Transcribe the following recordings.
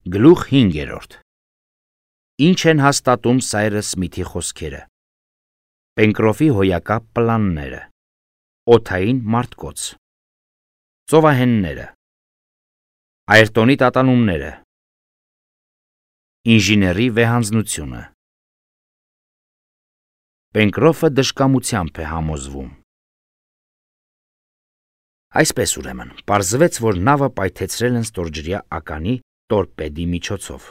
Գլուխ 5. Ինչ են հաստատում Սայրս Սմիթի խոսքերը։ Պենկրոֆի հոյակապ պլանները, օդային մարտկոց, ծովահենները, Այրտոնի տատանումները, ինժեների վեհանձնությունը։ Պենկրոֆը դժկամությամբ է համոզվում։ Այսպես ուրեմն, պարզվեց, որ նավը պայթեցրել են ստորջրյա ականի տորպեդի միջոցով։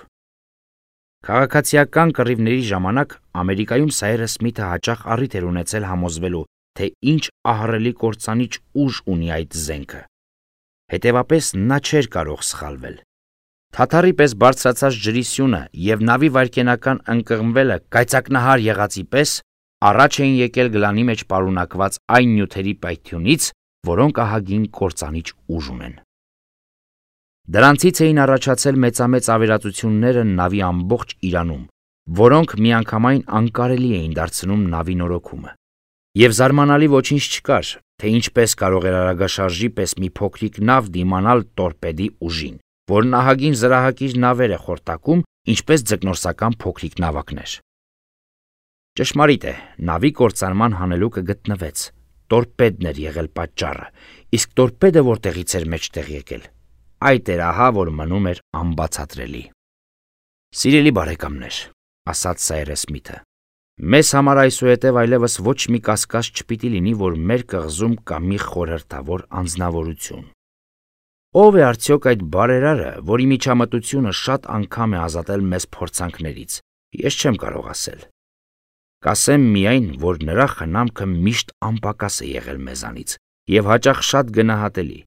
Քաղաքացիական կռիվների ժամանակ Ամերիկայում Սայրս Սմիթը հաճախ առիթ էր ունեցել համոզվելու, թե ինչ ահռելի կործանիչ ուժ ունի այդ զենքը։ Հետևապես նա չէր կարող սխալվել։ Թաթարի պես բարձրացած ջրի սյունը և նավի վայրկենական ընկղմվելը կայծակնահար եղածի պես առաջ էին եկել գլանի մեջ պարունակված այն նյութերի պայթյունից, որոնք ահագին կործանիչ ուժ ունեն։ Դրանցից էին առաջացել մեծամեծ ավերածությունները նավի ամբողջ իրանում, որոնք միանգամայն անկարելի էին դարձնում նավի նորոգումը։ Եվ զարմանալի ոչինչ չկար, թե ինչպես կարող էր արագաշարժի պես մի փոքրիկ նավ դիմանալ տորպեդի ուժին, որն ահագին զրահակիր նավեր է խորտակում, ինչպես ձկնորսական փոքրիկ նավակներ։ Ճշմարիտ է, նավի կործանման հանելուկը գտնվեց, տորպեդն էր եղել պատճառը, իսկ տորպեդը որտեղից էր մեջտեղ եկել։ Այդ էր ահա, որ մնում էր անբացատրելի։ Սիրելի բարեկամներ, ասաց Սայրս Սմիթը, մեզ համար այսուհետև այլևս ոչ մի կասկած չպիտի լինի, որ մեր կղզում կա մի խորհրդավոր անձնավորություն։ Ո՞վ է արդյոք այդ բարերարը, որի միջամտությունը շատ անգամ է ազատել մեզ փորձանքներից, ես չեմ կարող ասել։ Կասեմ միայն, որ նրա խնամքը միշտ անպակաս է եղել մեզանից և հաճախ շատ գնահատելի։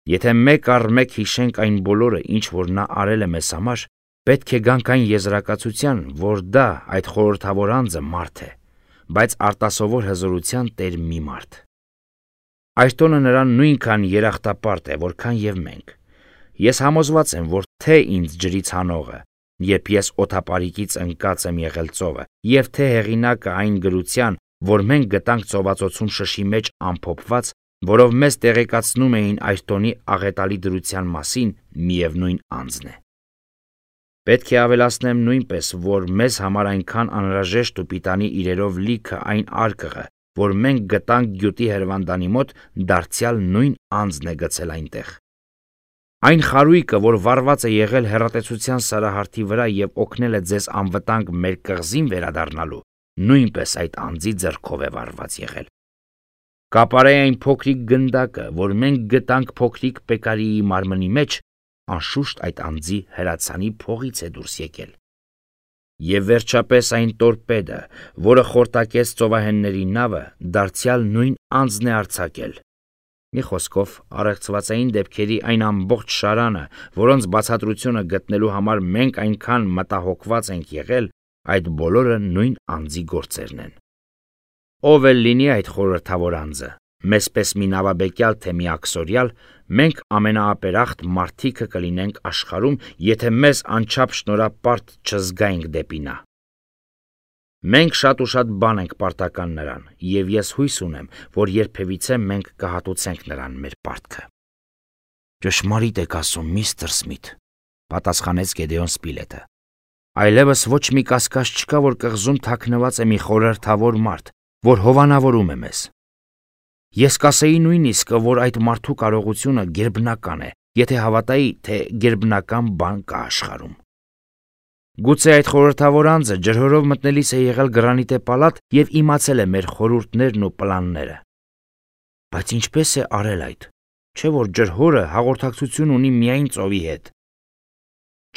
Եթե մեկ առ մեկ հիշենք այն բոլորը, ինչ որ նա արել է մեզ համար, պետք է գանք այն եզրակացության, որ դա այդ խորհրդավոր անձը մարդ է, բայց արտասովոր հզորության տեր մի մարդ։ Այրտոնը նրան նույնքան երախտապարտ է, որքան և մենք։ Ես համոզված եմ, որ թե ինձ ջրից հանողը, երբ ես օդապարիկից ընկած եմ եղել ծովը, և թե հեղինակը այն գրության, որ մենք գտանք ծովածոցում շշի մեջ ամփոփված, որով մեզ տեղեկացնում էին Այրտոնի աղետալի դրության մասին, միևնույն անձն է։ Պետք է ավելացնեմ նույնպես, որ մեզ համար այնքան անհրաժեշտ ու պիտանի իրերով լիքը այն արկղը, որ մենք գտանք գյուտի հրվանդանի մոտ, դարձյալ նույն անձն է գցել այնտեղ։ Այն խարույկը, որ վառված է եղել հեռատեսության սարահարթի վրա և օգնել է ձեզ անվտանգ մեր կղզին վերադառնալու, նույնպես այդ անձի ձեռքով է վառված եղել։ Կապարե այն փոքրիկ գնդակը, որ մենք գտանք փոքրիկ Պեկարիի մարմնի մեջ, անշուշտ այդ անձի հրացանի փողից է դուրս եկել։ Եվ վերջապես այն տորպեդը, որը խորտակեց ծովահենների նավը, դարձյալ նույն անձն է արձակել։ Մի խոսքով, առեղծվածային դեպքերի այն ամբողջ շարանը, որոնց բացատրությունը գտնելու համար մենք այնքան մտահոգված ենք եղել, այդ բոլորը նույն անձի գործերն են։ Ով էլ լինի այդ խորհրդավոր անձը, մեզպես մի նավաբեկյալ թե մի աքսորյալ, մենք ամենաապերախտ մարդիկը կլինենք աշխարհում, եթե մեզ անչափ շնորհապարտ չզգայինք դեպի նա։ Մենք շատ ու շատ բան ենք պարտական նրան, և ես հույս ունեմ, որ երբևիցե մենք կհատուցենք նրան մեր պարտքը։ Ճշմարիտ եք ասում, միստր Սմիթ, պատասխանեց Գեդեոն Սպիլետը։ Այլևս ոչ մի կասկած չկա, որ կղզում թաքնված է մի խորհրդավոր մարդ, որ հովանավորում է մեզ։ Ես կասեի նույնիսկ, որ այդ մարդու կարողությունը գերբնական է, եթե հավատայի, թե գերբնական բան կա աշխարհում։ Գուցե այդ խորհրդավոր անձը ջրհորով մտնելիս է եղել գրանիտե պալատ և իմացել է մեր խորհուրդներն ու պլանները։ Բայց ինչպես է արել այդ, չէ՞ որ ջրհորը հաղորդակցություն ունի միայն ծովի հետ։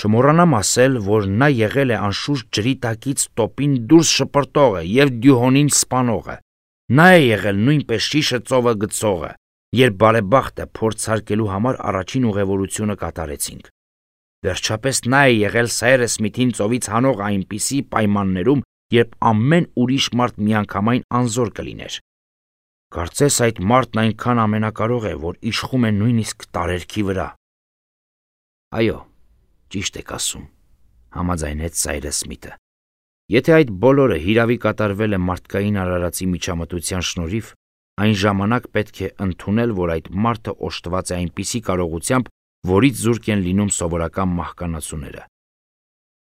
Չմոռանամ ասել, որ նա եղել է անշուշտ ջրի տակից տոպին դուրս շպրտողը և դյուհոնին սպանողը։ Նա է եղել նույնպես շիշը ծովը գցողը, երբ բարեբախտը փորձարկելու համար առաջին ուղևորությունը կատարեցինք։ Վերջապես նա է եղել Սայրս Սմիթին ծովից հանող այնպիսի պայմաններում, երբ ամեն ուրիշ մարդ միանգամայն անզոր կլիներ։ Կարծես այդ մարդն այնքան ամենակարող է, որ իշխում է նույնիսկ տարերքի վրա։ Այո, ճիշտ եք ասում, համաձայնեց Սայրս Սմիթը։ Եթե այդ բոլորը հիրավի կատարվել է մարդկային արարածի միջամտության շնորհիվ, այն ժամանակ պետք է ընդունել, որ այդ մարդը օժտված է այնպիսի կարողությամբ, որից զուրկ են լինում սովորական մահկանացուները։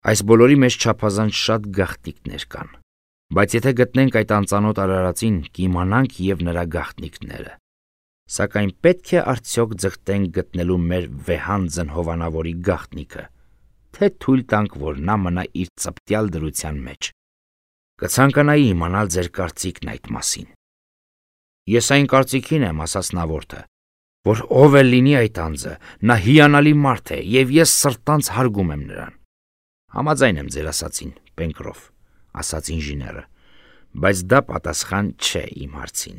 Այս բոլորի մեջ չափազանց շատ գաղտնիքներ կան, բայց եթե գտնենք այդ անծանոթ արարածին, կիմանանք և նրա գաղտնիքները։ Սակայն պետք է արդյոք ձգտենք գտնելու մեր վեհանձն հովանավորի գաղտնիքը, թե թույլ տանք, որ նա մնա իր ծպտյալ դրության մեջ։ Կցանկանայի իմանալ ձեր կարծիքն այդ մասին։ Ես այն կարծիքին եմ, ասաց նավորդը, որ ով էլ լինի այդ անձը, նա հիանալի մարդ է և ես սրտանց հարգում եմ նրան։ Համաձայն եմ ձեր ասածին, Պենկրոֆ, ասաց ինժեները, բայց դա պատասխան չէ իմ հարցին։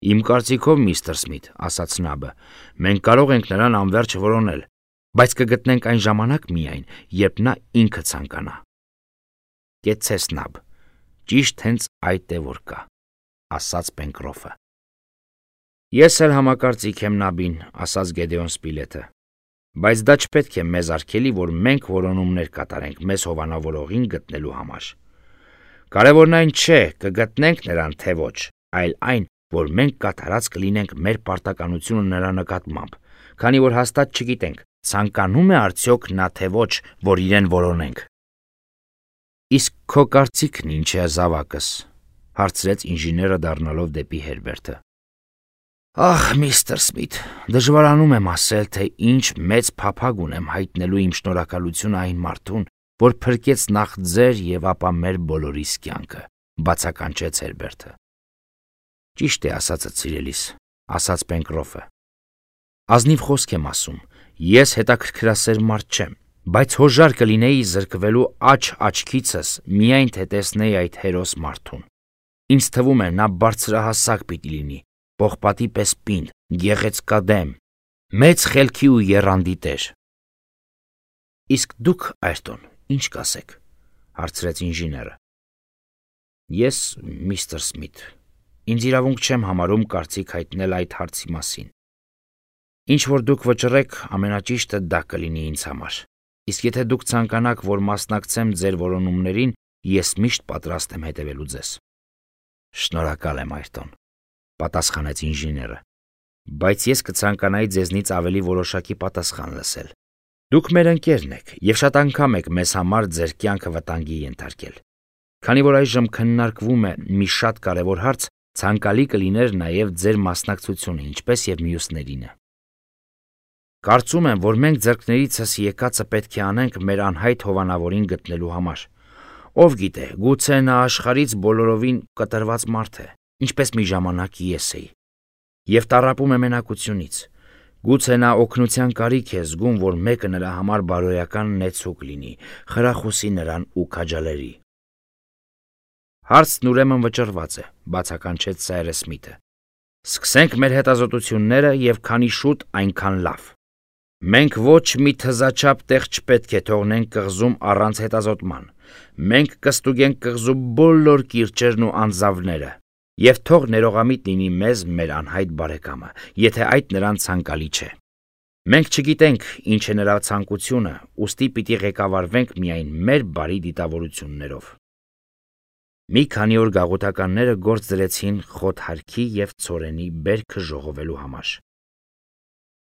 Իմ կարծիքով, միստր Սմիթ, ասաց Նաբը, մենք կարող ենք նրան անվերջ որոնել, բայց կգտնենք այն ժամանակ միայն, երբ նա ինքը ցանկանա։ Կեցցես Նաբ, ճիշտ հենց այդ է որ կա, ասաց Պենկրոֆը։ Ես էլ համակարծիք եմ Նաբին, ասաց Գեդեոն Սպիլեթը, բայց դա չպետք է մեզ արգելի, որ մենք որոնումներ կատարենք մեզ հովանավորողին գտնելու համար։ Կարևորն այն չէ, կգտնենք նրան թե ոչ, այլ այն, որ մենք կատարած կլինենք մեր պարտականությունը նրա նկատմամբ, քանի որ հաստատ չգիտենք, ցանկանում է արդյոք նա թե ոչ, որ իրեն որոնենք։ Իսկ քո կարծիքն ինչ է, զավակս, հարցրեց ինժեները դառնալով դեպի Հերբերտը։ Ահ, միստր Սմիթ, դժվարանում եմ ասել, թե ինչ մեծ փափագ ունեմ հայտնելու իմ շնորհակալությունը այն մարդուն, որ փրկեց նախ ձեր և ապա մեր բոլորիս կյանքը, բացականչեց Հերբերտը։ Ճիշտ է ասածդ, սիրելիս, ասաց Պենկրոֆը։ Ազնիվ խոսք եմ ասում, ես հետաքրքրասեր մարդ չեմ, բայց հոժար կլինեի զրկվելու աչքիցս միայն թե տեսնեի այդ հերոս մարդուն։ Ինձ թվում է նա բարձրահասակ պիտի լինի, պողպատի պես պինդ, գեղեցկադեմ, մեծ խելքի ու եռանդի տեր։ Իսկ դուք, Այրտոն, ինչ կասեք, հարցրեց ինժեները։ Ես, միստր Սմիթ, ինձ իրավունք չեմ համարում կարծիք հայտնել այդ հարցի մասին։ Ինչ որ դուք վճռեք, ամենաճիշտը դա կլինի ինձ համար։ Իսկ եթե դուք ցանկանաք, որ մասնակցեմ ձեր որոնումներին, ես միշտ պատրաստ եմ հետևելու ձեզ։ Շնորհակալ եմ, Այրտոն, պատասխանեց ինժեները, բայց ես կցանկանայի ձեզնից ավելի որոշակի պատասխան լսել։ Դուք մեր ընկերն եք և շատ անգամ եք մեզ համար ձեր կյանքը վտանգի ենթարկել։ Քանի որ այժմ քննարկվում է մի շատ կարևոր հարց, ցանկալի կլիներ նաև ձեր մասնակցությունը, ինչպես և մյուսներինը։ Կարծում եմ, որ մենք ձեռքներիցս եկածը պետք է անենք մեր անհայտ հովանավորին գտնելու համար։ Ով գիտե, գուցե նա աշխարհից բոլորովին կտրված մարդ է, ինչպես մի ժամանակ ես էի, և տառապում է մենակությունից։ Գուցե նա օգնության կարիք է զգում, որ մեկը նրա համար բարոյական նեցուկ լինի, խրախուսի նրան ու քաջալերի։ Հարցն ուրեմն վճռված է, բացականչեց Սայրս Սմիթը։ Սկսենք մեր հետազոտությունները և քանի շուտ այնքան լավ։ Մենք ոչ մի թզաչափ տեղ չպետք է թողնենք կղզում առանց հետազոտման։ Մենք կստուգենք կղզու բոլոր կիրճերն ու անձավները, և թող ներողամիտ լինի մեզ մեր անհայտ բարեկամը, եթե այդ նրան ցանկալի չէ։ Մենք չգիտենք ինչ է նրա ցանկությունը, ուստի պիտի ղեկավարվենք միայն մեր բարի դիտավորություններով։ Մի քանի օր գաղութականները գործ դրեցին խոթհարքի և ցորենի բերքը ժողովելու համար։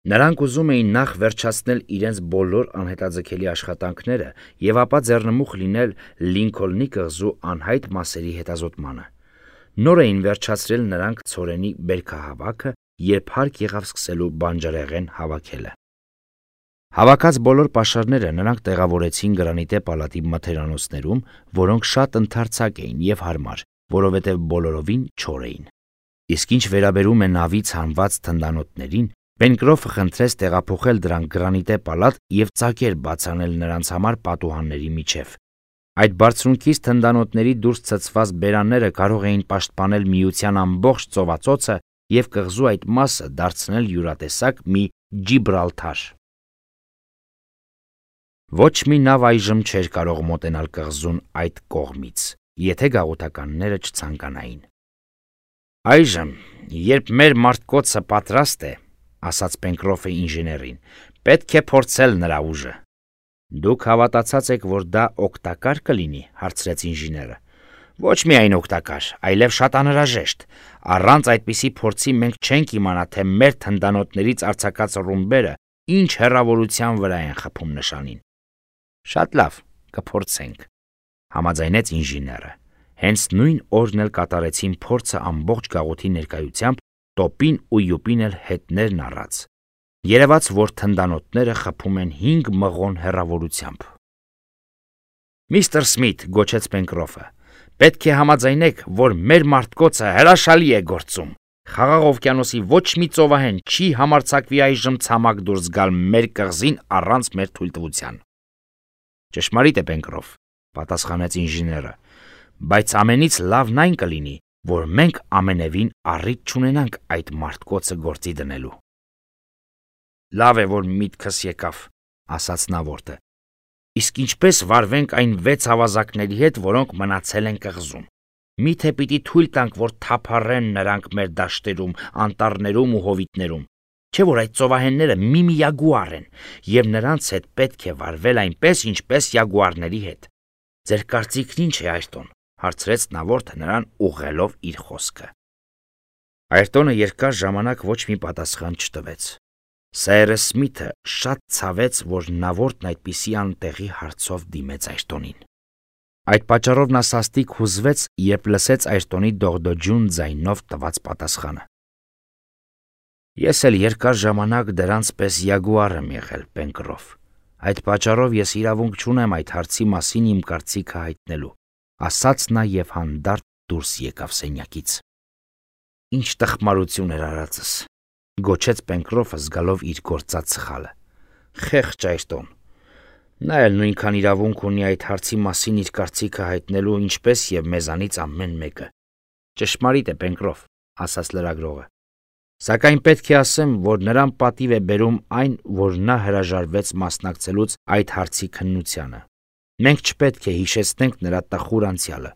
Նրանք ուզում էին նախ վերջացնել իրենց բոլոր անհետաձգելի աշխատանքները և ապա ձեռնմուխ լինել Լինքոլնի կղզու անհայտ մասերի հետազոտմանը։ Նոր էին վերջացրել նրանք ցորենի բերքահավաքը, երբ հարկ եղավ սկսելու բանջարեղեն հավաքելը։ Հավաքած բոլոր պաշարները նրանք տեղավորեցին գրանիտե պալատի մթերանոցներում, որոնք շատ ընդարձակ էին և հարմար, որովհետև բոլորովին չոր էին։ Իսկ ինչ վերաբերում է նավից հանված թնդանոթներին, Պենկրոֆը խնդրեց տեղափոխել դրանք գրանիտե պալատ և ծակեր բաց անել նրանց համար պատուհանների միջև։ Այդ բարձունքից թնդանոթների դուրս ցցված բերանները կարող էին պաշտպանել Միության ամբողջ ծովածոցը և կղզու այդ մասը դարձնել յուրատեսակ մի Ջիբրալթար։ Ոչ մի նավ այժմ չէր կարող մոտենալ կղզուն այդ կողմից, եթե գաղութականները չցանկանային։ Այժմ, երբ մեր մարտկոցը պատրաստ է, ասաց Պենկրոֆը ինժեներին, պետք է փորձել նրա ուժը։ Դուք հավատացած եք, որ դա օգտակար կլինի, հարցրեց ինժեները։ Ոչ միայն օգտակար, այլև շատ անհրաժեշտ։ Առանց այդպիսի փորձի մենք չենք իմանա, թե մեր թնդանոթներից արձակած ռումբերը ինչ հեռավորության վրա են խփում նշանին։ Շատ լավ, կփորձենք, համաձայնեց ինժեները։ Հենց նույն օրն էլ կատարեցին փորձը ամբողջ գաղութի ներկայությամբ, տոպին ու յուպին էլ հետներն առած։ Երևաց, որ թնդանոթները խփում են 5 մղոն հեռավորությամբ։ Միստր Սմիթ, գոչեց Պենկրոֆը, պետք է համաձայնեք, որ մեր մարդկոցը հրաշալի է գործում։ Խաղաղ օվկիանոսի ոչ մի ծովահեն չի համարձակվի այժմ ցամաք դուրս գալ մեր կղզին առանց մեր թույլտվության։ Ճշմարիտ է, Պենկրոֆ, պատասխանեց ինժեները, բայց ամենից լավն այն կլինի, որ մենք ամենևին առիթ չունենանք այդ մարդկոցը գործի դնելու։ Լավ է, որ միտքս եկավ, ասաց Նավորդը։ Իսկ ինչպես վարվենք այն 6 ավազակների հետ, որոնք մնացել են կղզում։ Միթե պիտի թույլ տանք, որ թափառեն նրանք մեր դաշտերում, անտառներում ու հովիտներում, չէ՞ որ այդ ծովահենները մի յագուար են, եւ նրանց հետ պետք է վարվել այնպես, ինչպես յագուարների հետ։ Ձեր կարծիքն ինչ է, Այրտոն, հարցրեց Նավորդը նրան ուղղելով իր խոսքը։ Այրտոնը երկար ժամանակ ոչ մի պատասխան չտվեց։ Սայրս Սմիթը շատ ցավեց, որ Նավորդն այդպիսի անտեղի հարցով դիմեց Այրտոնին։ Այդ պատճառով նա սաստիկ հուզվեց, երբ լսեց Այրտոնի դողդոջուն ձայնով տված պատասխանը։ Ես էլ երկար ժամանակ դրանց պես յագուար եմ եղել, Պենկրոֆ։ Այդ պատճառով ես իրավունք չունեմ այդ հարցի մասին իմ կարծիքը հայտնելու, ասաց նա եւ հանդարտ դուրս եկավ սենյակից։ Ինչ տխմարություն էր արածս, գոչեց Պենկրոֆը զգալով իր գործած սխալը։ Խեղճ Այրտոն։ Նա էլ նույնքան իրավունք ունի այդ հարցի մասին իր կարծիքը հայտնելու, ինչպես եւ մեզանից ամեն մեկը։ Ճշմարիտ է, Պենկրոֆ, ասաց լրագրողը։ Սակայն պետք է ասեմ, որ նրան պատիվ է բերում այն, որ նա հրաժարվեց մասնակցելուց այդ հարցի քննությանը։ Մենք չպետք է հիշեցնենք նրա տխուր անցյալը։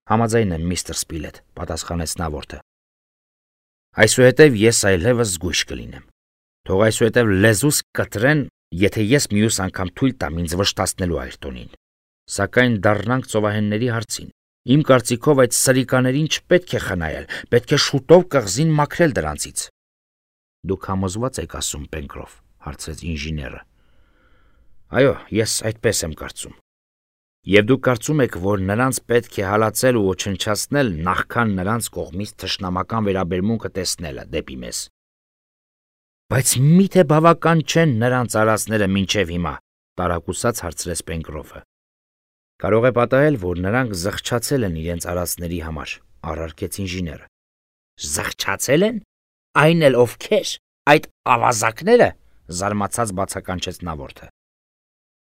Համաձայն եմ, միստր Սպիլետ, պատասխանեց Նավորդը։ Այսուհետև ես այլևս զգույշ կլինեմ։ Թող այսուհետև լեզուս կտրեն, եթե ես մյուս անգամ թույլ տամ ինձ վշտացնելու Այրտոնին։ Սակայն դառնանք ծովահենների հարցին։ Իմ կարծիքով այդ սրիկաներին չպետք է խնայել, պետք է շուտով կղզին մաքրել դրանցից։ Դուք համոզված եք ասում, Պենկրոֆ, հարցրեց ինժեները։ Այո, ես այդպես եմ կարծում։ Եվ դուք կարծում եք, որ նրանց պետք է հալածել ու ոչնչացնել, նախքան նրանց կողմից թշնամական վերաբերմունքը տեսնելը դեպի մեզ։ Բայց միթե բավական չեն նրանց արածները մինչև հիմա, տարակուսած հարցրեց Պենկրոֆը։ Կարող է պատահել, որ նրանք զղջացել են իրենց արածների համար, առարկեց ինժեները։ Զղջացել են։ Այն էլ ովքեր, այդ ավազակները, զարմացած բացականչեց Նավորդը։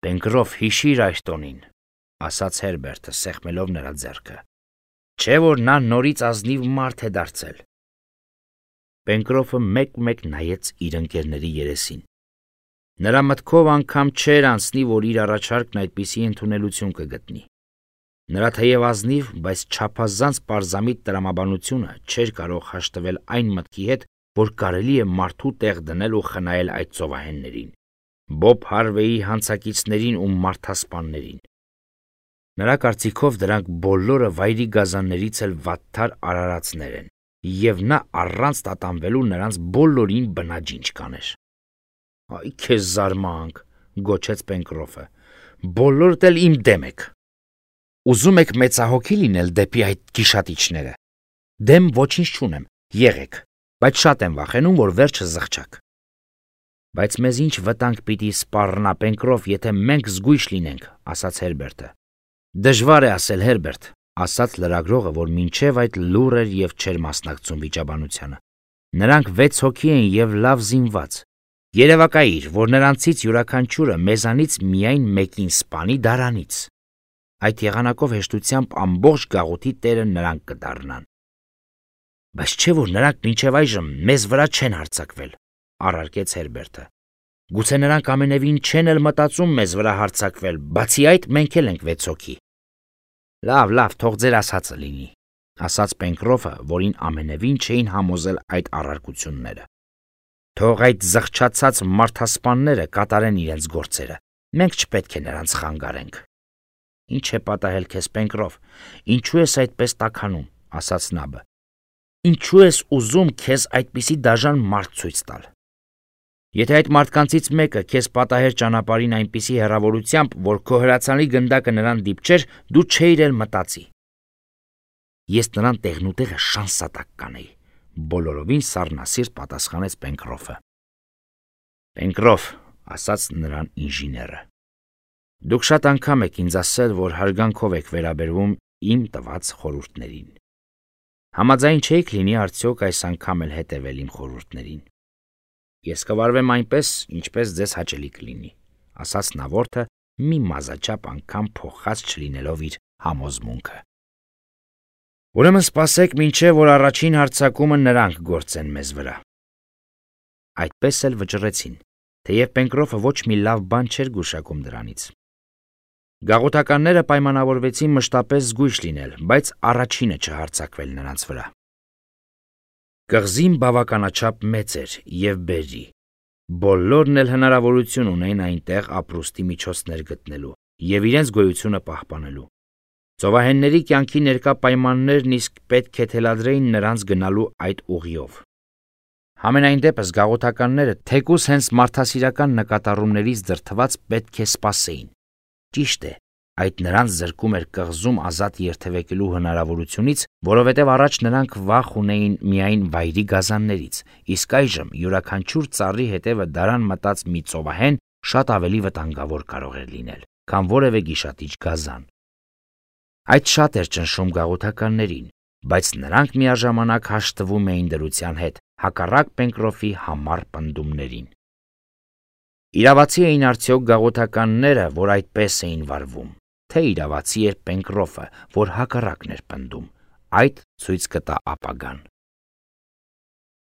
Պենկրոֆ, հիշիր Այրտոնին, ասաց Հերբերտը, սեղմելով նրա ձեռքը։ Չէ՞ որ նա նորից ազնիվ մարդ է դարձել։ Պենկրոֆը մեկ-մեկ նայեց իր ընկերների երեսին։ Նրա մտքով անգամ չէր անցնի, որ իր առաջարկն այդպիսի ընդունելություն կգտնի։ Նրա թեև ազնիվ, բայց չափազանց պարզամիտ տրամաբանությունը չէր կարող հաշտվել այն մտքի հետ, որ կարելի է մարդու տեղ դնել ու խնայել այդ ծովահեններին, Բոբ Հարվեյի հանցակիցներին ու մարդասպաններին։ Նրա կարծիքով դրանք բոլորը վայրի գազաններից էլ վատթար արարածներ են, եւ նա առանց տատանվելու նրանց բոլորին բնաջինջ կաներ։ Այ քեզ զարմանք, գոչեց Պենկրոֆը, բոլորդ էլ իմ դեմ եք։ Ուզում եք մեծահոգի լինել դեպի այդ գիշատիչները։ Դեմ ոչինչ չունեմ, եղեք, բայց շատ եմ վախենում, որ վերջը զղջակ։ Բայց մեզ ինչ վտանգ պիտի սպառնա, Պենկրոֆ, եթե մենք զգույշ լինենք, ասաց Հերբերտը։ Դժվար է ասել, Հերբերտ, ասաց լրագրողը, որ մինչև այդ լուր էր եւ չէր մասնակցում վիճաբանությանը։ Նրանք 6 հոգի են եւ լավ զինված։ Երևակայիր, որ նրանցից յուրաքանչյուրը մեզանից միայն մեկին սպանի դարանից։ Այդ եղանակով հեշտությամբ ամբողջ գաղութի տերը նրանք կդառնան։ Բայց չէ՞ որ նրանք մինչև այժմ մեզ վրա չեն հարձակվել, առարկեց Հերբերտը։ Գուցե նրանք ամենևին չեն էլ մտածում մեզ վրա հարձակվել, բացի այդ մենք էլ ենք 6 հոգի։ Լավ, թող ձեր ասածը լինի, ասաց Պենկրոֆը, որին ամենևին չէին համոզել այդ առարկությունները։ Թող այդ զղջացած մարդասպանները կատարեն իրենց գործերը, մենք չպետք է նրանց խանգարենք։ Ինչ է պատահել քեզ, Պենկրոֆ, ինչու ես այդպես տաքանում, ասաց Նաբը։ Ինչու ես ուզում քեզ այդպիսի դաժան մարդ ցույց տալ։ Եթե այդ մարդկանցից մեկը քեզ պատահեր ճանապարհին այնպիսի հեռավորությամբ, որ քո հրացանի գնդակը նրան դիպչեր, դու չէիր էլ մտածի։ Ես նրան տեղնուտեղը շանսատակ կանեի, բոլորովին սառնասիրտ պատասխանեց Պենկրոֆը։ Պենկրոֆ, ասաց նրան ինժեները, դուք շատ անգամ եք ինձ ասել, որ հարգանքով եք վերաբերվում իմ տված խորհուրդներին։ Համաձայն չէիք լինի արդյոք այս անգամ էլ հետևել իմ խորհուրդներին։ Ես կվարվեմ այնպես, ինչպես ձեզ հաճելի կլինի, ասաց նավորդը մի մազաչափ անգամ փոխած չլինելով իր համոզմունքը։ Ուրեմն սպասեք, մինչև որ առաջին հարձակումը նրանք գործեն մեզ վրա։ Այդպես էլ վճռեցին, թեև Պենկրոֆը ոչ մի լավ բան չէր գուշակում դրանից։ Գաղութականները պայմանավորվեցին մշտապես զգույշ լինել, բայց առաջինը չհարձակվել նրանց վրա։ Կղզին բավականաչափ մեծ էր և բերրի։ Բոլորն էլ հնարավորություն ունեին այնտեղ ապրուստի միջոցներ գտնելու և իրենց գոյությունը պահպանելու։ Ծովահենների կյանքի ներկա պայմաններն իսկ պետք է թելադրեին նրանց գնալու այդ ուղիով։ Համենայն դեպս գաղութականները թեկուզ հենց մարդասիրական նկատառումներից դրդված պետք է սպասեին։ Ճիշտ է, այդ նրանց զրկում էր կղզում ազատ երթևեկելու հնարավորությունից, որովհետև առաջ նրանք վախ ունեին միայն վայրի գազաններից, իսկ այժմ յուրաքանչյուր ծառի հետևը դարան մտած մի ծովահեն շատ ավելի վտանգավոր կարող էր լինել, քան որևէ գիշատիչ գազան։ Այդ շատ էր ճնշում գաղութականներին, բայց նրանք միաժամանակ հաշտվում էին դրության հետ, հակառակ Պենկրոֆի համառ պնդումներին։ Իրավացի էին արդյոք գաղութականները, որ այդպես էին վարվում, թե իրավացի էր Պենկրոֆը, որ հակառակն էր պնդում։ Այդ ցույց կտա ապագան։